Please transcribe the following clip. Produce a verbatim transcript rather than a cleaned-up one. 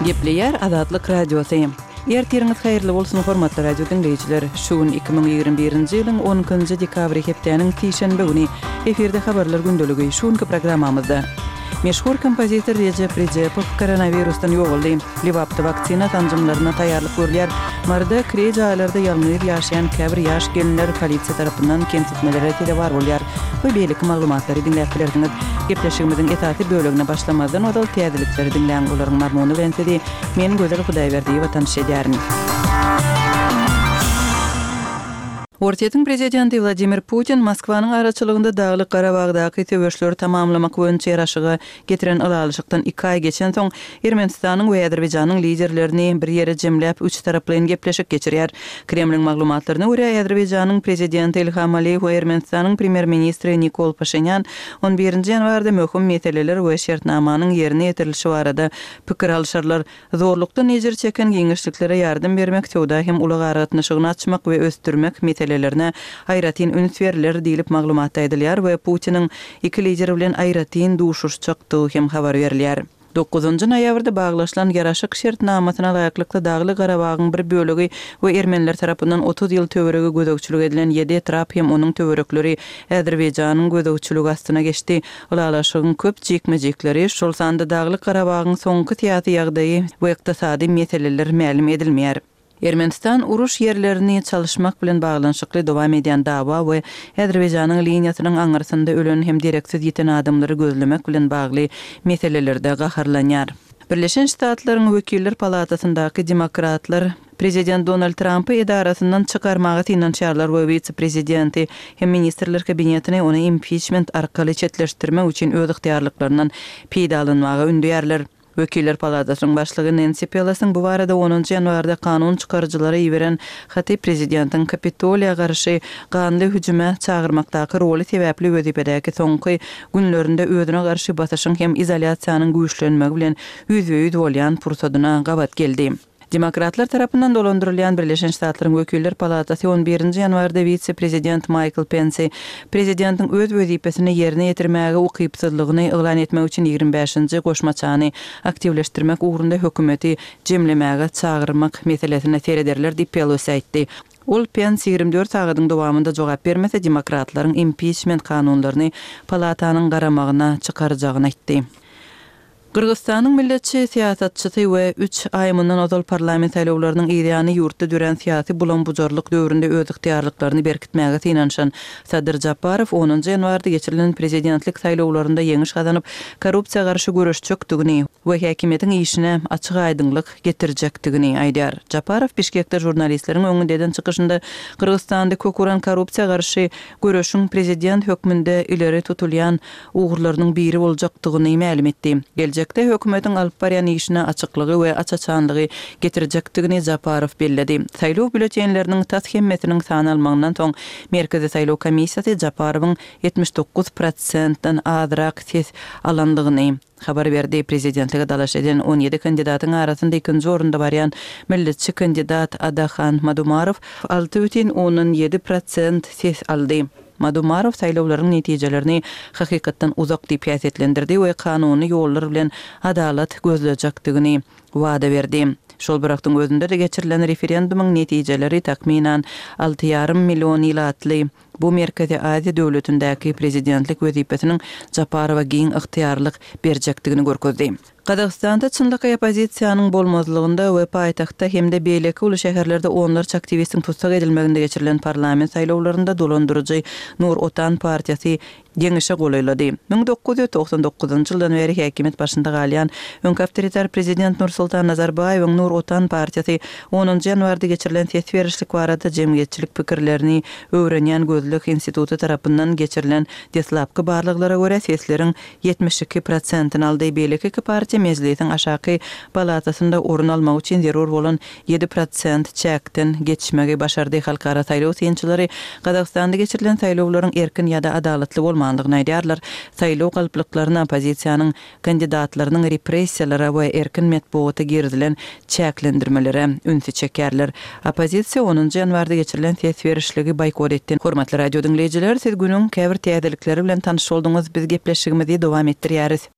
Gepleýär Azatlyk Radiosy. Ertiriňiz haýyrly bolsun, hormatly radio diňleýjiler. Şu gün iki müň ýigrimi birinji ýylyň on ikinji dekabry hepdäniň sişenbe güni. Efirde habarlar gündeligi. Şu günki programmamyzda meşhur kompozitor Rejep Rejepow koronawirusdan ýogaldy. Lebapda waksina sanjymlaryna taýýarlyk görülýär. Maryda kireý jaýlarda ýalňyz ýaşaýan käbir ýaş gelinler polisiýa tarapyndan kemsitmelere sezewar bolýar we beýleki maglumatlary diňläp bilersiňiz. Gepleşigimiziň esasy bölegine başlamazdan ozal täzelikleri diňläň, olaryň mazmuny bilen sizi men Gözel Hudaýberdiýewa tanyş edýärin. Orsýetiň prezidenti Wladimir Putin Moskwanyň araçylygynda Daglyk Garabagdaky söweşleri tamamlamak boýunça ýaraşyga getiren ylalaşykdan iki aý geçensoň, Ermenistanyň we Azerbaýjanyň liderlerini bir ýere jemläp, üçtaraplaýyn gepleşik geçirýär. Kremliň maglumatlaryna görä, Azerbaýjanyň prezidenti Ilham Aliýew we Ermenistanyň premýer-ministri Nikol Paşinýan on birinji ýanwarda möhüm meseleler we şertnamanyň ýerine ýetirilişi barada pikir alyşarlar. Zorlukdan ejir çeken giňişliklere ýardam bermek, söwda hem ulag aragatnaşygyny açmak we ösdürmek meselelerine aýratyn üns berler diýlip maglumatda aýdylýar we Putiniň iki lider bilen aýratyn duşuşjakdygy hem habar berilýär. Dokuzynjy noýabrda baglaşylan ýaraşyk şertnamasyna laýyklykda Dagly Garabagyň bir bölegi we ermeniler tarapyndan otuz ýyl töweregi gözegçilik edilen ýedi etrap hem onuň töwerekleri Azerbaýjanyň gözegçiligi astyna geçdi. Ylalaşygyň köp jikme-jikleri, şol sanda Dagly Garabagyň soňky syýasy ýagdaýy we ykdysady meseleler mälim edilmeýär. Ermenistan uruş ýerlerini çalyşmak bilen baglanyşykly dowam edýän dawa we Azerbaýjanyň liniýasynyň aňyrsynda ölen hem dereksiz ýiten adamlary gözlemek bilen bagly meselelerde gaharlanýar. Birleşen Ştatlaryň Wekiller palatasyndaky demokratlar prezident Donald Trampy edarasyndan çykarmaga synanyşýarlar we wise-prezidenti hem ministrler kabinetini ony impiçment arkaly çetleşdirmek üçin öz ygtyýarlyklaryndan peýdalanmaga ündeýärler. Wekiller palatasynyň başlygy Nensi Pelosiň bu barada onunjy ýanwarda kanun çykaryjylara iberen haty prezidentiň Kapitoliýa garşy ganly hüjüme çagyrmakdaky roly sebäpli wezipedäki soňky günlerinde özüne garşy basyşyň hem izolýasiýanyň güýçlenmegi bilen ýüzbe-ýüz bolýan pursadyna gabat geldi. Demokratlar tarapyndan dolandyrylýan Birleşen Ştatlaryň Wekiller palatasy on birinji ýanwarda wise-prezident Maýkl Pensi prezidentiň öz wezipesini ýerine ýetirmäge ukypsyzlygyny yglan etmek üçin ýigrimi bäşinji goşmaçany aktiwleşdirmek ugrunda hökümeti jemlemäge çagyrmak meselesine serederler diýip Pelosi aýtdy. Ol Pens ýigrimi dört sagadyň dowamynda jogap bermese demokratlaryň impiçment kanunlaryny palatanyň garamagyna çykarjagyny aýtdy. Gyrgyzystanyň milletçi syýasatçysy we üç aý mundan ozal parlament saýlawlarynyň yzýany ýurtda dörän syýasy bulam-bujarlyk döwründe öz ygtyýarlyklaryny berkitmäge synanyşan Sadyr Japarow onunjy ýanwarda geçirilen prezidentlik saýlawlarynda ýeňiş gazanyp, korrupsiýa garşy göreşjekdigini we häkimiýetiň işine açyk-aýdyňlyk getirjekdigini aýdýar. Japarow Bişkekde žurnalistleriň öňünde eden çykyşynda Gyrgyzystanda kök uran korrupsiýa garşy göreşiň prezident hökmünde ileri tutulýan ugurlarynyň biri boljakdygyny mälim etdi. Geljekde hökümetiň alyp barýan işine açyklygy we aç-açanlygy getirjekdigini Japarow belledi. Saýlaw býulletenleriniň tas hemmesiniň sanalmagyndan soň Merkezi saýlaw komissiýasy Japarowyň ýetmiş dokuz prosentden azrak ses alandygyny habar berdi. Prezidentlige dalaş eden on ýedi kandidatyň arasynda ikinji orunda barýan milletçi kandidat Adahan Madumarow alty bütin ondan ýedi prosent ses aldy. Madumarow saýlawlaryň netijelerini hakykatdan uzak diýip häsiýetlendirdi we kanuny ýollar bilen adalat gözlejekdigini wada berdi. Şol bir wagtyň özünde-de geçirilen referendumyň netijeleri takmynan alty ýarym million ilatly bu Merkezi Aziýa döwletindäki prezidentlik wezipesiniň Japarowa giň ygtyýarlyk berjekdigini görkezdi. Gazagystanda çynlakaý oppozisiýanyň bolmazlygynda we paýtagtda hem-de beýleki uly şäherlerde onlarça aktiwistiň tussag edilmeginde geçirilen parlament saýlawlarynda dolandyryjy Nur Otan partiýasy ýeňişe golaýlady. Müň dokuz ýüz togsan dokuzynjy ýyldan bäri häkimiýet başynda galýan öňki awtoritar prezident Nursultan Nazarbaýewiň Nur Otan partiýasy onunjy ýanwarda geçirilen ses berişlik barada jemgyýetçilik pikirlerini öwrenýän gözleg instituty tarapyndan geçirilen deslapky barlaglara görä sesleriň ýetmiş iki prosentini aldy. Beýleki iki partiýa mejlisiň aşaky palatasynda orun almak üçin zerur bolan ýedi prosent çäkden geçmegi başardy. Halkara saýlaw synçylary Gazagystanda geçirilen saýlawlaryň erkin ýa-da adalatly bolmandygyny aýdýarlar. Saýlaw galplyklaryna oppozisiýanyň kandidatlarynyň repressiýalara we erkin metbugata girizilen çäklendirmelere ünsi çekýärler. Oppozisiýa onunjy ýanwarda geçirilen ses berişligi boýkot etdi. Hormatly radio diňleýjiler, siz günüň käbir täzelikleri bilen tanyş bolduňyz. Biz gepleşigimizi dowam etdirýäris.